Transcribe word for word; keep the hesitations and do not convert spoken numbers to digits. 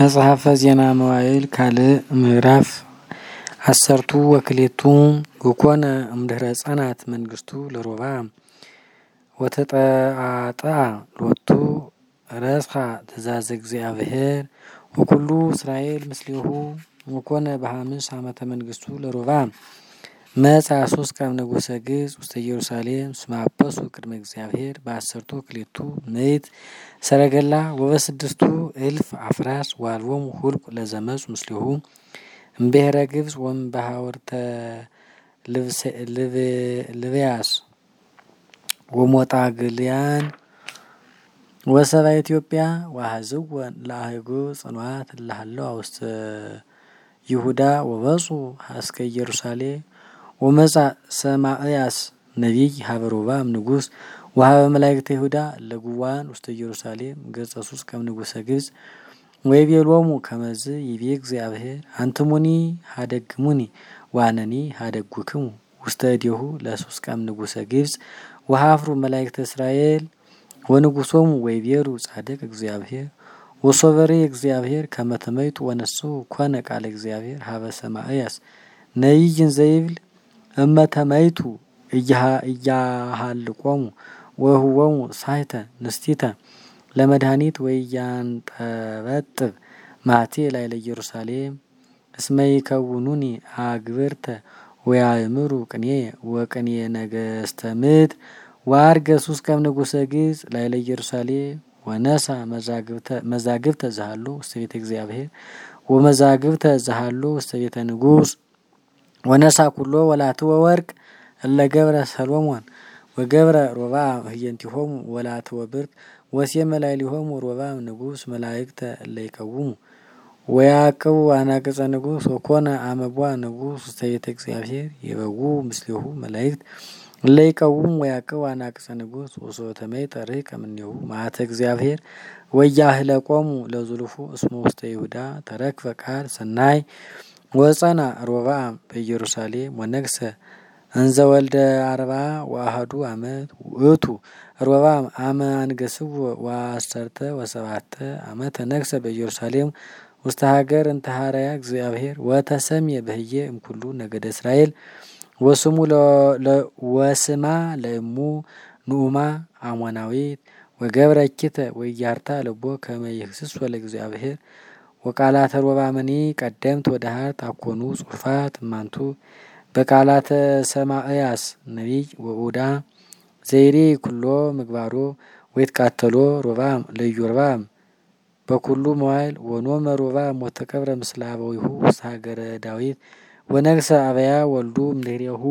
መጽሐፈ ዜና መዋዕል ካልእ ምዕራፍ ዐሰርቱ ወክልኤቱ። ወኮነ እምድህረ ጸንዐት መንግስቱ ለሮብዓም ወተጠአጠአ ሎቱ ረስኻ ትእዛዘ እግዚአብሔር ወኩሉ እስራኤል ምስሌሁ። ወኮነ በሐምስ ዓመተ መንግስቱ ለሮብዓም መጽአ ሶስቀም ንጉሰ ግብጽ ውስተ ኢየሩሳሌም እስመ አበሱ ቅድመ እግዚአብሔር በዐሰርቱ ወክልኤቱ ምእት ሰረገላ ወበስድስቱ እልፍ አፍራስ ወአልቦሙ ሁልቁ ለዘመጹ ምስሌሁ እምብሔረ ግብጽ ወእምበሐውርተ ልብያስ ወሞጣግልያን ወሰባ ኢትዮጵያ ወአሐዝወን ለአህጉር ጽኑዓት እለ ሀለዋ ውስተ ይሁዳ ወበጽሑ እስከ ኢየሩሳሌም። ወመጽአ ሰማእያስ ነቢይ ሀበ ሮብዓም ንጉስ ወሀበ መላእክተ ይሁዳ እለ ግዋን ውስተ ኢየሩሳሌም ገጸ ሶስቀም ንጉሰ ግብጽ ወይቤሎሙ ከመዝ ይቤ እግዚአብሔር አንትሙኒ ሀደግሙኒ ወአነኒ ሀደግኩክሙ ውስተ እዴሁ ለሶስቀም ንጉሰ ግብጽ ወሐፍሩ መላእክተ እስራኤል ወንጉሶሙ ወይቤሉ ጻድቅ እግዚአብሔር ወሶበሪ እግዚአብሔር ከመ ተመይጡ ወነስኡ። ኮነ ቃለ እግዚአብሔር ሀበ ሰማእያስ ነቢይ እንዘ ይብል እመ ተመይጡ እያሃልቆሙ ወይሁቦሙ ሳይተ ንስቲተ ለመድኃኒት ወያንጠበጥብ ማቴ ላዕለ ኢየሩሳሌም እስመ ይከውኑኒ አግብርተ ወያእምሩ ቅኔ ወቅኔ ነገስተ ምድር። ወዐርገ ሶስቀም ንጉሰ ግብጽ ላዕለ ኢየሩሳሌም ወነሳ መዛግብተ ዘሃሎ ውስተ ቤተ እግዚአብሔር ወመዛግብተ ዘሃሎ ውስተ ቤተ ንጉስ ወነሳ ኩሎ ወላትወ ወርቅ እለ ገብረ ሰሎሞን ወገብረ ሮብዓም ህየንቲሆሙ ወላትወ ብርት ወሴመ ላዕሌሆሙ ሮብዓም ንጉስ መላእክተ እለ ይቀውሙ ወያዕቅቡ አናቅጸ ንጉስ። ወኮነ አመ ቦአ ንጉስ ውስተ ቤተ እግዚአብሔር ይበውኡ ምስሌሁ መላእክት እለ ይቀውሙ ወያዕቅቡ አናቅጸ ንጉስ ወሶበ ተመይጠ ርህቀ እምኔሁ መዓተ እግዚአብሔር ወያህለቆሙ ለዝሉፉ እስመ ውስተ ይሁዳ ተረክበ ቃል ሰናይ። ወጸንዐ ሮብዓም በኢየሩሳሌም ወነግሰ እንዘ ወልደ አርብዓ ወአሐዱ ዓመት ውእቱ። ሮብዓም አመ አንገስዎ ወዐሰርተ ወሰብዓተ ዓመተ ነግሰ በኢየሩሳሌም ውስተ ሀገር እንተ ሐረያ እግዚአብሔር ወተሰምየ በህዬ እምኩሉ ነገደ እስራኤል። ወስሙ ለ- ለ- ወስማ ለእሙ ንኡማ አሞናዊት ወገብረ እኪተ ወኢያርታ ልቦ ከመ ይህስሶ ለእግዚአብሔር። ወቃላተ ሮብዓምኒ ቀደምት ወደሃርት አኮኑ ጽሑፋት እማንቱ በቃላተ ሰማእያስ ነቢይ ወኡዳ ዘይሬ ኩሎ ምግባሮ። ወይትቃተሎ ሮብዓም ለኢዮርብዓም በኩሉ መዋዕል ወኖመ ሮብዓም ወተቀብረ ምስለ አበዊሁ ውስተ ሀገረ ዳዊት ወነግሰ አብያ ወልዱ እምድህሬሁ።